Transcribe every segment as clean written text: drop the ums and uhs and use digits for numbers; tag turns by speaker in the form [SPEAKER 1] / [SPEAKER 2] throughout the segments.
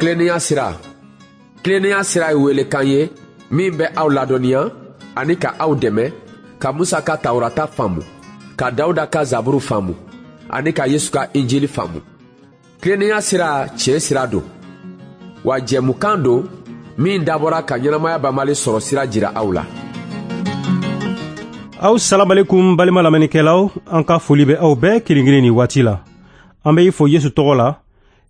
[SPEAKER 1] Tilennenya sira. Tilennenya sira ye welekan ye min bɛ aw ladɔnniya ani ka aw dɛmɛ ka Musa ka Tawurata faamu, ka Dawuda ka Zaburu faamu ani ka Yesu ka Injili faamu. Tilennenya sira tiɲɛ sira don, wa jɛmukan don min dabɔra ka ɲɛnamaya banbali sɔrɔ sira jira aw la.
[SPEAKER 2] Aw salamalekum balima lamɛnnikɛlaw, an ka foli bɛ aw bɛɛ kelen kelen nin waati la. An bɛ i fo Yesu tɔgɔ la,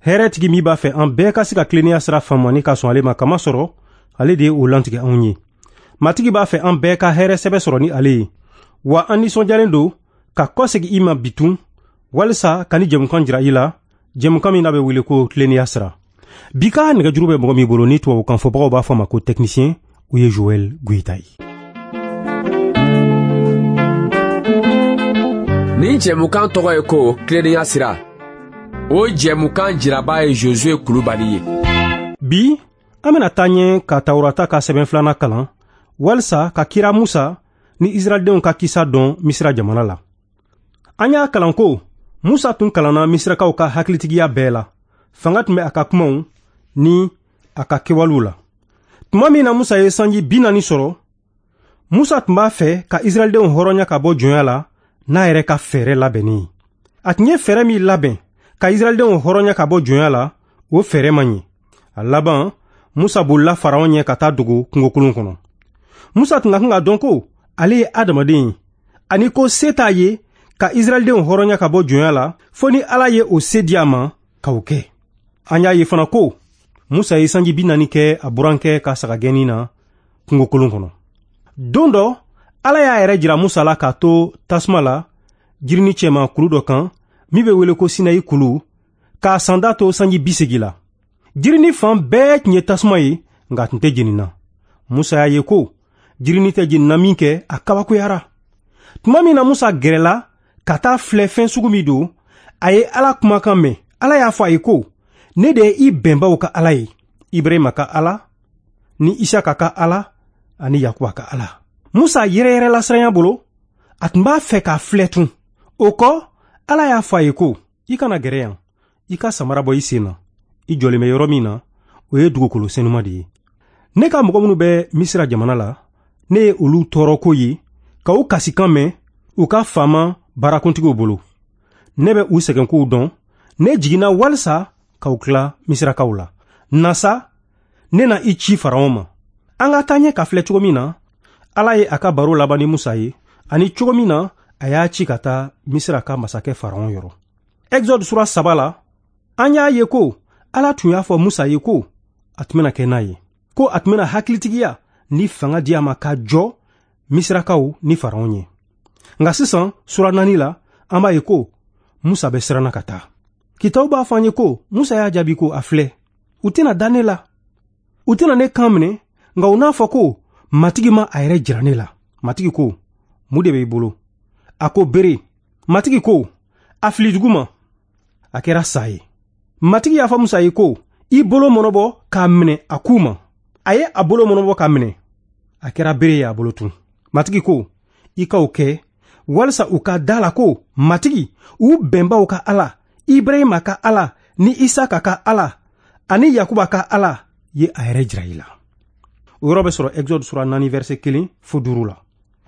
[SPEAKER 2] hɛrɛtigi min b'a fɛ an bɛɛ ka se ka tilennenya sira faamu ani ka sɔn ale ma, kamasɔrɔ ale de ye o lantigɛ anw ye. Matigi b'a fɛ an bɛɛ ka hɛrɛ sɛbɛ sɔrɔ ni ale ye. Wa an nisɔndiyalen don ka kɔsegin i ma bitun walisa ka ni jɛmukan jira i la, jɛmukan min n'a bɛ wele ko tilennenya sira. Bi ka nɛgɛjuru bɛ mɔgɔ min bolo ni tubabukan fɔbagaw b'a fɔ a ma ko technicien, o ye Joël Goïta ye.
[SPEAKER 1] Nin jɛmukan tɔgɔ ye ko tilennenya sira. O jɛmukan jiraba ye Josué Kulubali ye.
[SPEAKER 2] Bi an bɛna taa ɲɛ ka Tawurata ka sɛbɛn filanan kalan walisa ka kira Musa ni Israɛldenw ka kisa dɔn Misira jamana la. An y'a kalan ko Musa tun kalanna Misirakaw ka hakilitigiya bɛɛ la. Fanga tun bɛ a ka kumaw ni a ka kɛwalew la. Tuma min na Musa ye sanji 40 sɔrɔ, Musa tun b'a fɛ ka Israɛldenw hɔrɔnya ka bɔ jɔnya la n'a yɛrɛ ka fɛɛrɛ labɛnnen ye. A tun ye fɛɛrɛ min labɛn ka Israɛldenw hɔrɔnya ka bɔ jɔnya la, o fɛɛrɛ man ɲi. A laban, Musa bolila Faraon ɲɛ ka taa dogo kungokolon kɔnɔ. Musa tun ka kan ka dɔn ko ale ye adamaden ye, ani ko se t'a ye ka Israɛldenw hɔrɔnya ka bɔ jɔnya la, fo ni Ala ye o se di a ma ka o kɛ. An y'a ye fana ko Musa ye sanji 40 kɛ a burankɛ ka sagagɛnni na kungokolon kɔnɔ. Don dɔ, Ala y'a yɛrɛ jira Musa la k'a to tasuma la jirini cɛma kulu dɔ kan min bɛ wele ko Sinayi kulu, k'a sanda to sanji 80 la. Jirini fan bɛɛ tun ye tasuma ye, nka a tun tɛ jenina. Musa y'a ye ko jirini tɛ jenina min kɛ, a kabakoyara. Tuma min na Musa gɛrɛla ka taa filɛ fɛn sugu min don, a ye Ala kumakan mɛn. Ala y'a fɔ a ye ko, ne de ye i bɛnbaw ka Ala ye, Ibrahima ka Ala, ni Isaka ka Ala, ani Yakuba ka Ala. Musa yɛrɛyɛrɛla siranya bolo, a tun b'a fɛ k'a filɛ tun. O kɔ, Ala y'a fɔ a ye ko, i kana gɛrɛ yan, i ka samara bɔ i sen na. I jɔlen bɛ yɔrɔ min na, o ye dugukolo senuma de ye. Ne ka mɔgɔ minnu bɛ Misira jamana la, ne ye olu tɔɔrɔko ye, ka u kasikan mɛn u ka faama baarakuntigiw bolo. Ne bɛ u sɛgɛnkow dɔn, ne jiginna walisa k'aw tila Misirakaw la. Na sa, ne na i ci Faraon ma. An ka taa ɲɛ ka filɛ cogo min na, Ala ye a ka baro laban ni Musa ye, ani cogo min na a y'a ci ka taa Misira ka masakɛ Faraon yɔrɔ. Exode sura 3 la, an y'a ye ko Ala tun y'a fɔ Musa ye ko a tun bɛna kɛ n'a ye, ko a tun bɛna hakilitigiya ni fanga di a ma ka jɔ Misirakaw ni Faraon ye. Nka sisan sura 4 la, an b'a ye ko Musa bɛ siranna ka taa. Kitabu b'a fɔ an ye ko Musa y'a jaabi ko a filɛ, u tɛna da ne la, u tɛna ne kan minɛ, nka u n'a fɔ ko Matigi ma a yɛrɛ jira ne la. Matigi ko, mun de bɛ i bolo? A ko bere. Matigi ko, a fili dugu ma. A kɛra sa ye. Matigi y'a fɔ Musa ye ko, i bolo mɔnɔbɔ k'a minɛ a ku ma. A ye a bolo mɔnɔbɔ k'a minɛ. A kɛra bere ye a bolo tun. Matigi ko, i ka o kɛ walisa u ka da la ko Matigi, u bɛnbaw ka Ala, Ibrahima ka Ala, ni Isaka ka Ala, ani Yakuba ka Ala ye a yɛrɛ jira i la. O yɔrɔ bɛ sɔrɔ Exode sura 4 verset 1 fo 5 la.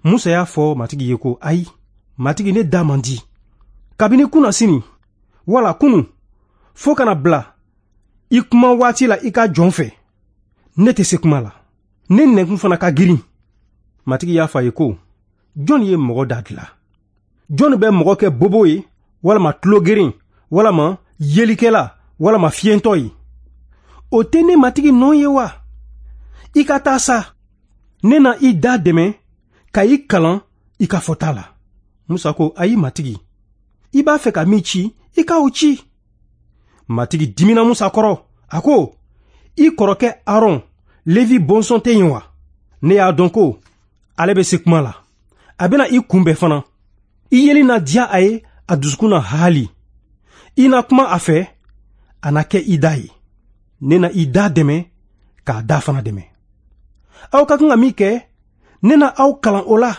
[SPEAKER 2] Musa y'a fɔ Matigi ye ko, ayi, Matigi, ne da man di. Kabini kunna sini, wala kunu, fo kana bila i kuma waati la i ka jɔn fɛ, ne tɛ se kuma la. Ne nɛnkun fana ka girin. Matigi y'a fɔ a ye ko, jɔn ye mɔgɔ da dilan? Jɔn bɛ mɔgɔ kɛ bobo ye, walama tulogeren, walama yelikɛla, walama fiyentɔ ye? O tɛ ne Matigi nɔ ye wa? I ka taa sa, ne na i da dɛmɛ ka i kalan i ka fɔta la. Musa ko, ayi Matigi, i b'a fɛ ka min ci, i ka o ci. Matigi dimina Musa kɔrɔ, a ko, i kɔrɔkɛ Aron, Levi bɔnsɔn tɛ yen wa? Ne y'a dɔn ko ale bɛ se kuma la. A bɛna i kunbɛn fana. I yeli na diya a ye, a dusukun na haali. I na kuma a fɛ, a na kɛ i da ye. Ne na i da dɛmɛ k'a da fana dɛmɛ. Aw ka kan ka min kɛ, ne na aw kalan o la.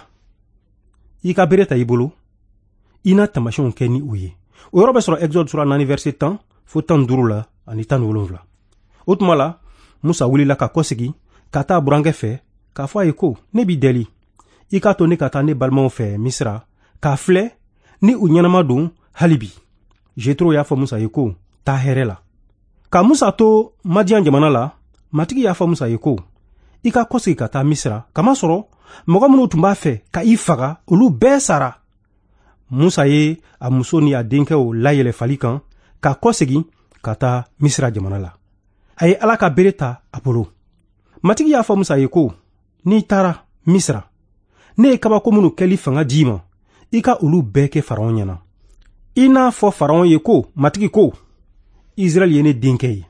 [SPEAKER 2] I ka bere ta i bolo, i na taamasiyɛnw kɛ ni o ye. O yɔrɔ bɛ sɔrɔ Exode sura 4 verset 10 fo 15 la ani 17. O tuma la, Musa wulila ka kɔsegi ka taa burankɛ fɛ k'a fɔ a ye ko, ne b'i deli, i k'a to ne ka taa ne balimaw fɛ Misira k'a filɛ ni u ɲɛnama don hali bi. Jetro y'a fɔ Musa ye ko, taa hɛrɛ la. Ka Musa to Madiyan jamana la, Matigi y'a fɔ Musa ye ko, i ka kɔsegi ka taa Misira, kamasɔrɔ mɔgɔ minnu tun b'a fɛ ka i faga, olu bɛɛ sara. Musa ye a muso ni a denkɛw layɛlɛ fali kan ka kɔsegi ka taa Misira jamana la. A ye Ala ka bere ta a bolo. Matigi y'a fɔ Musa ye ko, n'i taara Misira, ne ye kabako minnu kɛli fanga d'i ma, i ka olu bɛɛ kɛ Faraon ɲɛna. I n'a fɔ Faraon ye ko, Matigi ko, Israɛl ye ne denkɛ ye,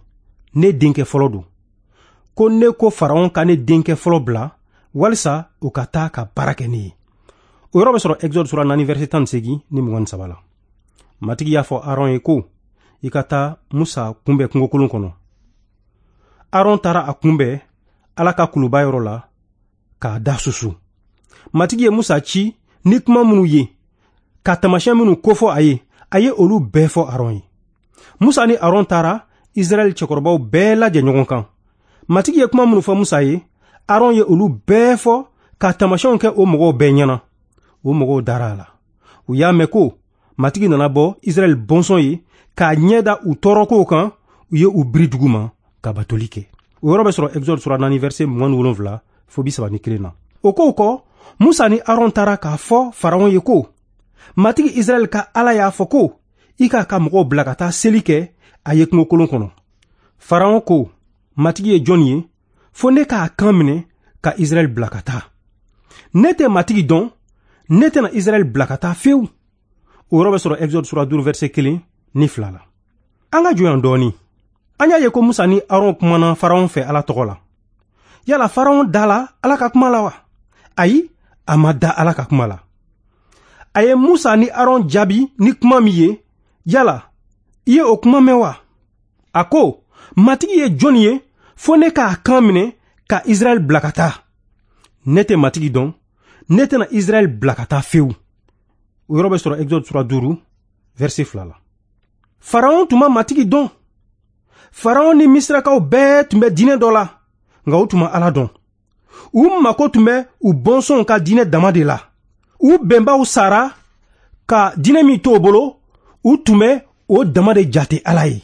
[SPEAKER 2] ne denkɛ fɔlɔ don. Ko ne ko Faraon ka ne denkɛ fɔlɔ bila walisa o ka taa ka baara kɛ ne ye. O yɔrɔ bɛ sɔrɔ Exode sura 4 verset 18 ni 23 la. Matigi y'a fɔ Aron ye ko, i ka taa Musa kunbɛn kungokolon kɔnɔ. Aron taara a kunbɛn Ala ka kuluba yɔrɔ la k'a da susu. Matigi ye Musa ci ni kuma minnu ye, ka taamasiyɛn minnu kofɔ a ye, a ye olu bɛɛ fɔ Aron ye. Musa ni Aron taara Israɛl cɛkɔrɔbaw bɛɛ lajɛ ɲɔgɔn kan. Matigi ye kuma minnu fɔ Musa ye, Aron ye olu bɛɛ fɔ ka taamasiyɛnw kɛ o mɔgɔw bɛɛ ɲɛna. O mɔgɔw dara a la. U y'a mɛn ko Matigi nana bɔ Israɛl bɔnsɔn ye k'a ɲɛ da u tɔɔrɔkow kan, u ye u biri dugu ma ka batoli kɛ. O yɔrɔ bɛ sɔrɔ Exode sura 4 verset 27 fo 31 na. O kow kɔ, Musa ni Aron taara k'a fɔ Faraon ye ko, Matigi Israɛl ka Ala y'a fɔ ko, i k'a ka mɔgɔw bila ka taa seli kɛ a ye kungokolon kɔnɔ. Faraon ko, Matigi ye jɔn ye, fo ne k'a kan minɛ ka Israɛl bila ka taa. Ne tɛ Matigi dɔn, ne tɛna Israɛl bila ka taa fewu. O yɔrɔ bɛ sɔrɔ Exode sura 5 verset 1 ni 2 la. An ka jɔ yan dɔɔni. An y'a ye ko Musa ni Aron kumana Faraon fɛ Ala tɔgɔ la. Yala Faraon dala Ala ka kuma la wa? Ayi, a ma da Ala ka kuma la. A ye Musa ni Aron jaabi ni kuma min ye, yala i ye o kuma mɛn wa? A ko, Matigi ye jɔn ye, fo ne k'a kan minɛ ka Israɛl bila ka taa. Ne tɛ Matigi dɔn, ne tɛna Israɛl bila ka taa fewu. O yɔrɔ bɛ sɔrɔ Exode sura 5 verset 2 la. Faraon tun ma Matigi dɔn. Faraon ni Misirakaw bɛɛ tun bɛ diinɛ dɔ la, nka u tun ma Ala dɔn. U mako tun bɛ u bɔnsɔnw ka diinɛ dama de la. U bɛnbaw sara ka diinɛ min to u bolo, u tun bɛ o dama de jate Ala ye.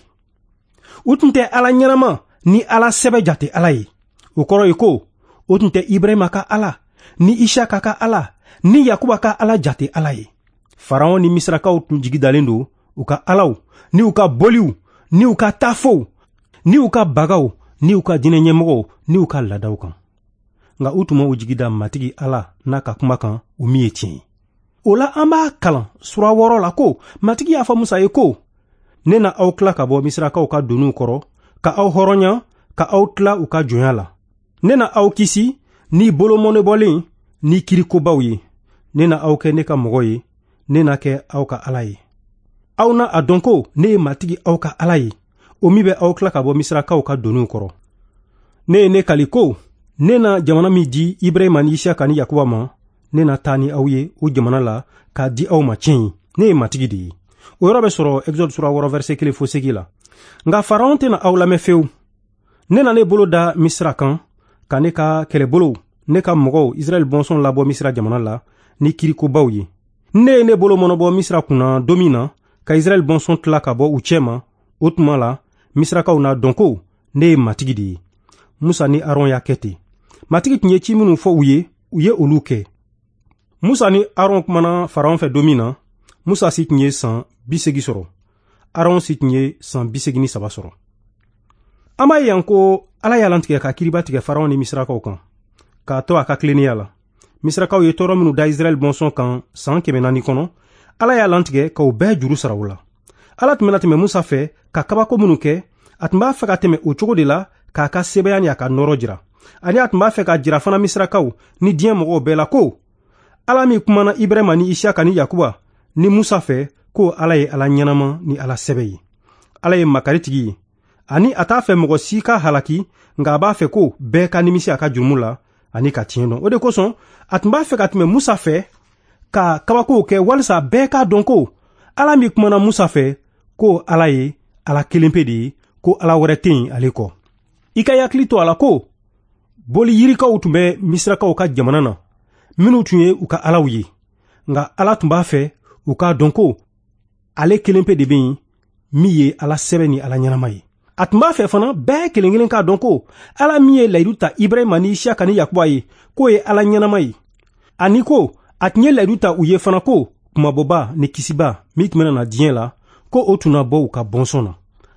[SPEAKER 2] U tun tɛ Ala ɲɛnama ni Ala sɛbɛ jate Ala ye. O kɔrɔ ye ko, o tun tɛ Ibrahima ka Ala, ni Isaka ka Ala, ni Yakuba ka Ala jate Ala ye. Faraon ni Misirakaw tun jigi dalen don u ka alaw, ni u ka boliw, ni u ka tafow, ni u ka bagaw, ni u ka diinɛ ɲɛmɔgɔw, ni u ka laadaw kan. Nka u tun ma u jigi da Matigi Ala n'a ka kuma kan, o min ye tiɲɛ ye. O la an b'a kalan sura 6 la ko, Matigi y'a fɔ Musa ye ko, ne na aw tila ka bɔ Misirakaw ka doniw kɔrɔ, ka aw hɔrɔnya, ka aw tila u ka jɔnya la. Ne na aw kisi ni bolomɔnɛbɔlen ni kirikobaw ye. Ne na aw kɛ ne ka mɔgɔ ye, ne na kɛ aw ka Ala ye. Aw na a dɔn ko ne ye Matigi aw ka Ala ye, o min bɛ aw tila ka bɔ Misirakaw ka doniw kɔrɔ. Ne ye ne kali ko, ne na jamana min di Ibrahima ni Isaka ni Yakuba ma, ne na taa ni aw ye o jamana la k'a di aw ma tiɲɛ ye. Ne ye Matigi de ye. O yɔrɔ bɛ sɔrɔ Exode sura 6 verset 1 fo 8 la. Nka Faraon tɛna aw lamɛn fewu. Ne na ne bolo da Misira kan, ka ne ka kɛlɛbolow, ne ka mɔgɔw Israɛl bɔnsɔn labɔ Misira jamana la ni kirikobaw ye. Ne ye ne bolo mɔnɔbɔ Misira kunna don min na, ka Israɛl bɔnsɔn tila ka bɔ u cɛ ma, o tuma la Misirakaw n'a dɔn ko ne ye Matigi de ye. Musa ni Aron y'a kɛ ten. Matigi tun ye ci minnu fɔ u ye, u ye olu kɛ. Musa ni Aron kumana Faraon fɛ don min na, Musa si tun ye san 80 sɔrɔ. Aron si tun ye san 83 sɔrɔ. An b'a ye yan ko Ala y'a lantigɛ ka kiriba tigɛ Faraon ni Misirakaw kan, k'a to a ka tilennenya la. Misirakaw ye tɔɔrɔ minnu da Israɛl bɔnsɔn kan san 400 kɔnɔ, Ala y'a lantigɛ k'o bɛɛ juru sara u la. Ala tun bɛna tɛmɛ Musa fɛ ka kabako minnu kɛ, a tun b'a fɛ ka tɛmɛ o cogo de la k'a ka sebaya ni a ka nɔɔrɔ jira. Ani a tun b'a fɛ ka jira fana Misirakaw ni diɲɛ mɔgɔw bɛɛ la ko Ala min kumana Ibrahima ni Isaka ni Yakuba ni Musa fɛ, ko Ala ye Ala ɲɛnama ni Ala sɛbɛ ye. Ala ye makaritigi ye, ani a t'a fɛ mɔgɔ si ka halaki, nka a b'a fɛ ko bɛɛ ka nimisi a ka jurumu la ani ka tiɲɛ dɔn. O de kosɔn a tun b'a fɛ ka tɛmɛ Musa fɛ ka kabakow kɛ walisa bɛɛ k'a dɔn ko Ala min kumana Musa fɛ, ko Ala ye Ala kelen pe de ye, ko Ala wɛrɛ tɛ yen ale kɔ. I ka hakili to a la ko boli yirikaw tun bɛ Misirakaw ka jamana na, minnu tun ye u ka alaw ye. Nka Ala tun b'a fɛ u k'a dɔn ko ale kelen pe de bɛ yen min ye Ala sɛbɛ ni Ala ɲɛnama ye. A tun b'a fɛ fana bɛɛ kelen kelen k'a dɔn ko Ala min ye layidu ta Ibrahima ni Isiyaka ni Yakuba ye, k'o ye Ala ɲɛnama ye. Ani ko a tun ye layidu ta u ye fana ko kumabɔba ni kisiba min tun bɛna na diɲɛ la, ko o tun na bɔ u ka bɔnsɔn na.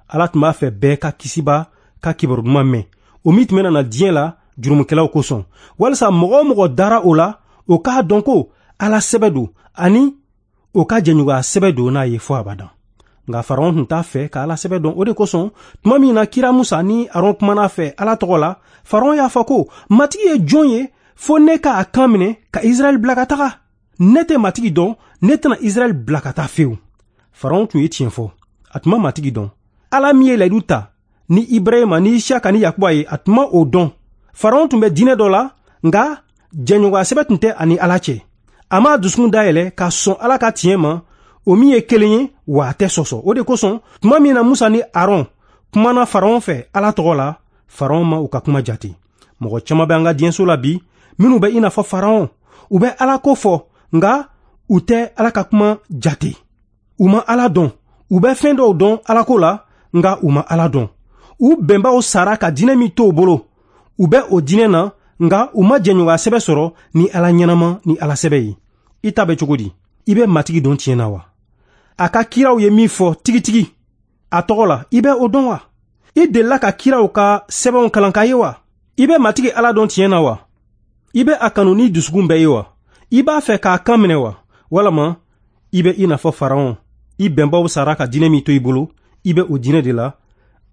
[SPEAKER 2] Ala tun b'a fɛ bɛɛ ka kisiba ka kibaru duman mɛn, o min tun bɛna na diɲɛ la jurumukɛlaw kosɔn, walisa mɔgɔ o mɔgɔ dara o la, o k'a dɔn ko Ala sɛbɛ don ani o ka jɛɲɔgɔnya sɛbɛ don n'a ye fɔ abadan. Nka Faraon tun t'a fɛ ka Ala sɛbɛ dɔn. O de kosɔn tuma min na kira Musa ni Aron kumana fɛ Ala tɔgɔ la, Faraon y'a fɔ ko Matigi ye jɔn ye fo ne k'a kan minɛ ka Israɛl bila ka taga? Ne tɛ Matigi dɔn, ne tɛna Israɛl bila ka taa fewu. Faraon tun ye tiɲɛ fɔ, a tun ma Matigi dɔn. Ala min ye layidu ta ni Ibrahima ni Isiyaka ni Yakuba ye, a tun ma o dɔn. Faraon tun bɛ diinɛ dɔ la, nka jɛɲɔgɔnya sɛbɛ tun tɛ ani Ala cɛ. A m'a dusukun dayɛlɛ ka sɔn Ala ka tiɲɛ ma, o min ye kelen ye, wa a tɛ sɔsɔ. O de kosɔn tuma min na Musa ni Aron kumana Faraon fɛ Ala tɔgɔ la, Faraon ma u ka kuma jate. Mɔgɔ caman bɛ an ka diɲɛso la bi minnu bɛ i n'a fɔ Faraon. U bɛ Ala ko fɔ, nka u tɛ Ala ka kuma jate. U ma Ala dɔn. U bɛ fɛn dɔw dɔn Ala ko la, nka u ma Ala dɔn. U bɛnbaw sara ka diinɛ min to u bolo, u bɛ o diinɛ na, nka u ma jɛɲɔgɔnya sɛbɛ sɔrɔ ni Ala ɲɛnama ni Ala sɛbɛ ye. I ta bɛ cogo di? I bɛ Matigi dɔn tiɲɛ na wa? A ka kiraw ye min fɔ tigitigi a tɔgɔ la, i bɛ o dɔn wa? I delila ka kiraw ka sɛbɛnw kalan k'a ye wa? I bɛ Matigi Ala dɔn tiɲɛ na wa? I bɛ a kanu ni dusukun bɛɛ ye wa? I b'a fɛ k'a kan minɛ wa? Walama i bɛ i n'a fɔ Faraon, i bɛnbaw sara ka diinɛ min to i bolo, i bɛ o diinɛ de la,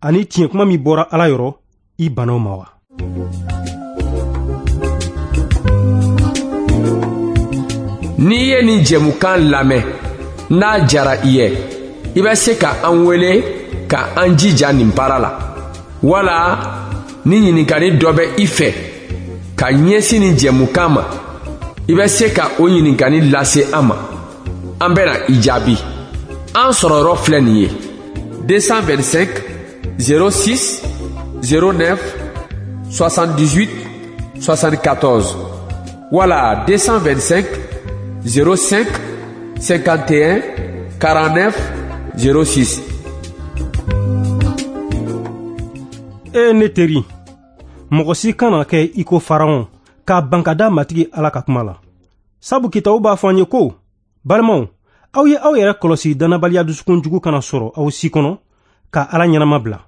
[SPEAKER 2] ani tiɲɛ kuma min bɔra Ala yɔrɔ, i banna o ma wa?
[SPEAKER 1] N'i ye nin jɛmukan lamɛn, n'a jara i ye, i bɛ se ka an wele ka an jija nin baara la, wala ni ɲininkali dɔ bɛ i fɛ ka ɲɛsin nin jɛmukan ma, i bɛ se ka o ɲininkali lase an ma. An bɛna i jaabi. An sɔrɔyɔrɔ filɛ nin ye: 225 06 09 78 74 wala 225 05 51 49 06.
[SPEAKER 2] E ne teri, mɔgɔ si kana kɛ i ko Faraon k'a ban ka da Matigi Ala ka kuma la. Sabu kitabu b'a fɔ an ye ko, balimaw, aw ye aw yɛrɛ kɔlɔsi dannabaliya dusukun jugu kana sɔrɔ aw si kɔnɔ ka Ala ɲɛnama bila.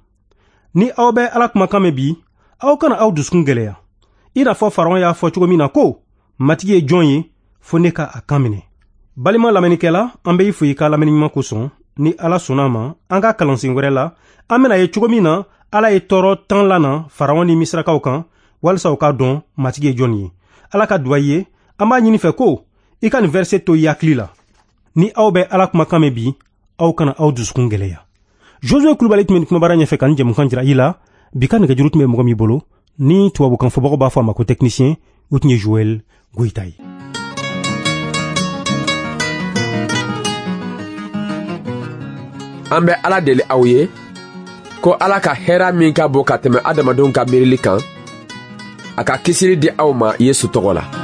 [SPEAKER 2] Ni aw bɛ Ala kumakan mɛn bi, aw kana aw dusukun gɛlɛya. I n'a fɔ Faraon y'a fɔ cogo min na ko, Matigi ye jɔn ye fo ne ka a kan minɛ. Balima lamɛnnikɛla, an bɛ i fo i ka lamɛnni ɲuman kosɔn. Ni Ala sɔnna a ma, an ka kalansen wɛrɛ la, an bɛna ye cogo min na Ala ye tɔɔrɔ 10 lana Faraon ni Misirakaw kan, walisa u k'a dɔn Matigi ye jɔn ye. Ala ka duwa ye, an b'a ɲini fɛ ko i ka nin verset to i hakili la. Ni aw bɛ Ala kumakan mɛn bi, aw kana aw dusukun gɛlɛya. Josué Kulubali tun bɛ nin kumabara ɲɛfɛ ka nin jɛmukan jira i la. Bi ka nɛgɛjuru tun bɛ mɔgɔ min bolo, ni tubabukan fɔbagaw b'a fɔ a ma ko technicien, o tun ye Joël Goïta ye.
[SPEAKER 1] An bɛ Ala deli aw ye ko Ala ka hɛrɛ min ka bon ka tɛmɛ adamadenw ka miirili kan, a ka kisili di aw ma Yesu tɔgɔ la.